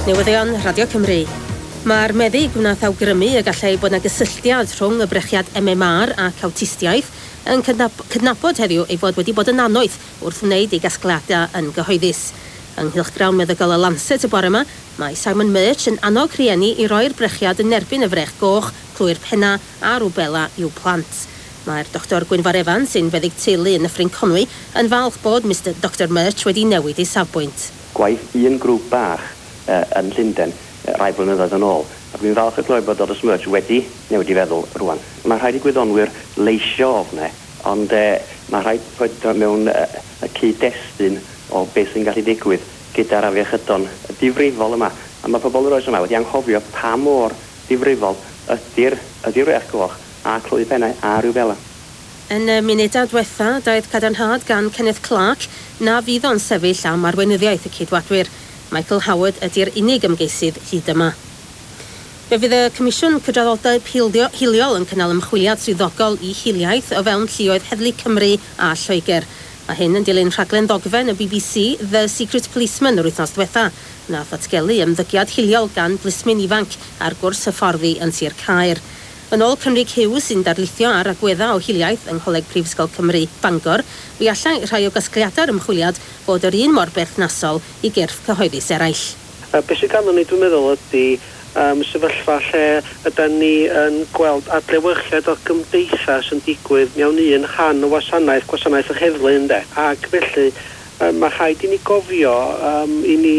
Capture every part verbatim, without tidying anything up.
Newyddion Radio Cymru. Mae'r meddyg wnaeth awgrymu y gallai bod 'na gysylltiad rhwng y brechiad M M R ac awtistiaeth yn cydnabod heddiw ei fod wedi bod yn annoeth wrth wneud ei gasgliadau yn gyhoeddus. Yng nghylchgrawn meddygol y Lancet y bore yma, mae Simon Murch yn annog rhieni i roi'r brechiad yn erbyn y frech goch, clwy'r penna a rwbela i'w plant. Mae'r Doctor Gwynfor Evans, sy'n feddyg teulu yn Nyffryn Conwy, yn falch bod Mister Doctor Murch wedi newid ei safbwynt. Gwaith un grŵp bach uh, yn Llundain uh, rai blynyddoedd yn ôl. A dwi'n falch o glywed bod Doctor Murch wedi newid i feddwl rwan. Mae rhaid i gwyddonwyr leisio ofne, ond uh, mae rhaid rhoi mewn uh, y cyd-destun o beth sy'n gallu digwydd gyda'r afiechydon difrifol yma. A mae pobl yr oes yma wedi anghofio pa mor difrifol ydy'r ydy frech goch a clwy pennau a rwbela. Yn y munudau diwetha, daeth cadarnhad gan Kenneth Clarke na fydd o'n sefyll am arweinyddiaeth y Ceidwadwyr. Michael Howard ydy'r unig ymgeisydd hyd yma. Fe fydd y Comisiwn Cydraddoldeb Hiliol yn cynnal ymchwiliad swyddogol i hiliaeth o fewn lluoedd Heddlu Cymru a Lloegr. Mae hyn yn dilyn rhaglen ddogfen y B B C The Secret Policeman yr wythnos diwetha, nath ddatgelu ymddygiad hiliol gan blismyn ifanc ar gwrs hyfforddi yn Sir Caer. Yn ôl Cymrig Hughes, sy'n darlithio ar agweddau o hiliaeth yng Ngholeg Prifysgol Cymru Bangor, fi allai rhai o gasgliadau'r ymchwiliad fod yr un mor berthnasol i gyrff cyhoeddus eraill. Uh, beth sydd ganddo ni, dwi'n meddwl, ydy um, sefyllfa lle ydy ni yn gweld adlewyrchiad o gymdeithas yn digwydd mewn un rhan o wasanaeth, gwasanaeth yr heddlu, ynde. Ac felly um, mae rhaid i ni gofio, um, i ni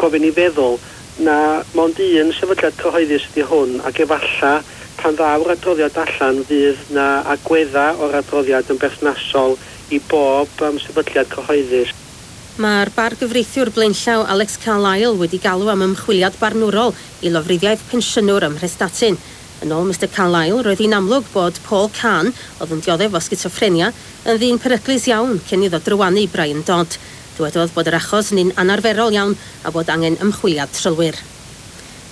gofyn i feddwl na mond un sefydliad cyhoeddus ydy hwn, ac efalla pan ddaw'r adroddiad allan fydd na agwedda o'r adroddiad yn berthnasol i bob um, sefydliad cyhoeddus. Mae'r bargyfreithiwr blaenllaw Alex Carlile wedi galw am ymchwiliad barnwrol i lofruddiaeth pensiynwr ym Mhrestatyn. Yn ôl Mister Carlile, roedd hi'n amlwg bod Paul Kahn, oedd yn dioddef o sgitsoffrenia, yn ddyn peryglus iawn cyn iddo drywanu Brian Dodd. Dywedodd bod yr achos yn un anarferol iawn a bod angen ymchwiliad trylwyr.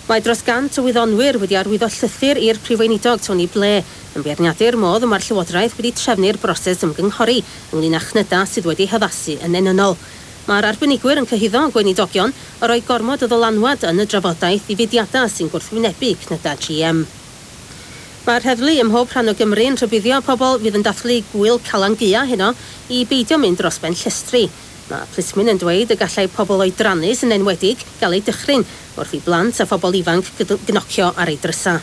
Mae dros gant o wyddonwyr wedi arwyddo llythyr i'r Prif Weinidog Tony Blair yn beirniadu'r modd y mae'r Llywodraeth wedi trefnu'r broses ymgynghori ynglyn â chnyda sydd wedi haddasu yn enynnol. Mae'r arbenigwyr yn cyhuddo gweinidogion o roi gormod o ddylanwad yn y drafodaeth i fudiadau sy'n gwrthwynebu cnyda G M. Mae'r heddlu ym mhob rhan o Gymru yn rhybuddio pobl fydd yn dathlu gwyl Calan Gaea heno i beidio mynd dros ben llestri. Mae plismyn yn dweud y gallai pobl oedrannus yn enwedig gael eu dychryn wrth i blant a phobl ifanc gnocio ar eu drysa.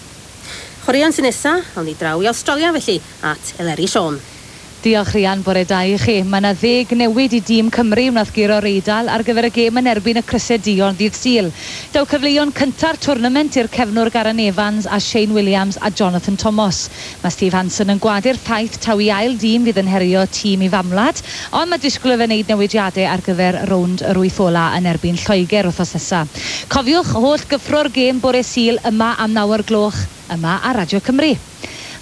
Chwaraeon sy'n nesa, awn ni draw i Awstralia felly, at Eleri Siôn. Diolch, Rhian, bore da i chi. Mae yna ddeg newid i dîm Cymru wnaeth guro'r Eidal ar gyfer y gêm yn erbyn y Crysau Duon ddydd Sul. Daw cyfleon cynta'r twrnament i'r cefnwr Garan Evans a Shane Williams a Jonathan Thomas. Mae Steve Hansen yn gwadu'r ffaith taw ei ail dîm fydd yn herio tîm ei famwlad, ond mae disgwyl iddo fe wneud newidiadau ar gyfer rownd yr wyth ola yn erbyn Lloegr wythnos nesa. Cofiwch, holl gyffro'r gêm bore Sul yma am naw o'r gloch yma ar Radio Cymru.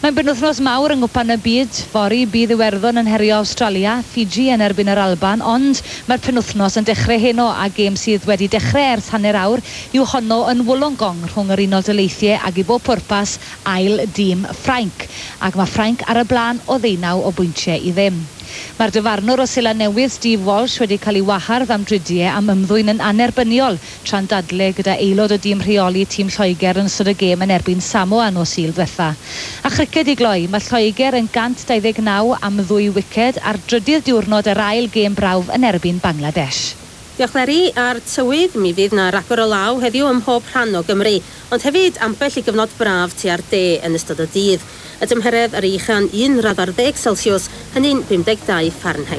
Mae'n benwythnos mawr yng Nghwpan y Byd. Fory bydd Iwerddon yn herio Awstralia, Fiji yn erbyn yr Alban, ond mae'r penwythnos yn dechrau heno a gêm sydd wedi dechrau ers hanner awr yw honno yn Wollongong rhwng yr Unol Daleithiau ag i bob pwrpas ail dîm Ffrainc. Ac mae Ffrainc ar y blaen o ddeunaw o bwyntiau i ddim. Mae'r dyfarnwr o Seland Newydd Steve Walsh wedi cael ei wahardd am dridiau am ymddwyn yn annerbyniol tra'n dadle gyda aelod o dîm rheoli tîm Lloegr yn ystod y gêm yn erbyn Samoa nos Sul ddiwetha. A chriced i gloi, mae Lloegr yn cant dau ddeg naw am ddwy wiced ar drydydd diwrnod yr ail gêm brawf yn erbyn Bangladesh. Diolch, Leri. A'r tywydd, mi fydd na ragor o law heddiw ym mhob rhan o Gymru, ond hefyd ambell i gyfnod braf tua'r de yn ystod y dydd. Y tymheredd ar ei ucha'n un radd ar ddeg Celsius, hynny'n pum deg dau Fahrenheit.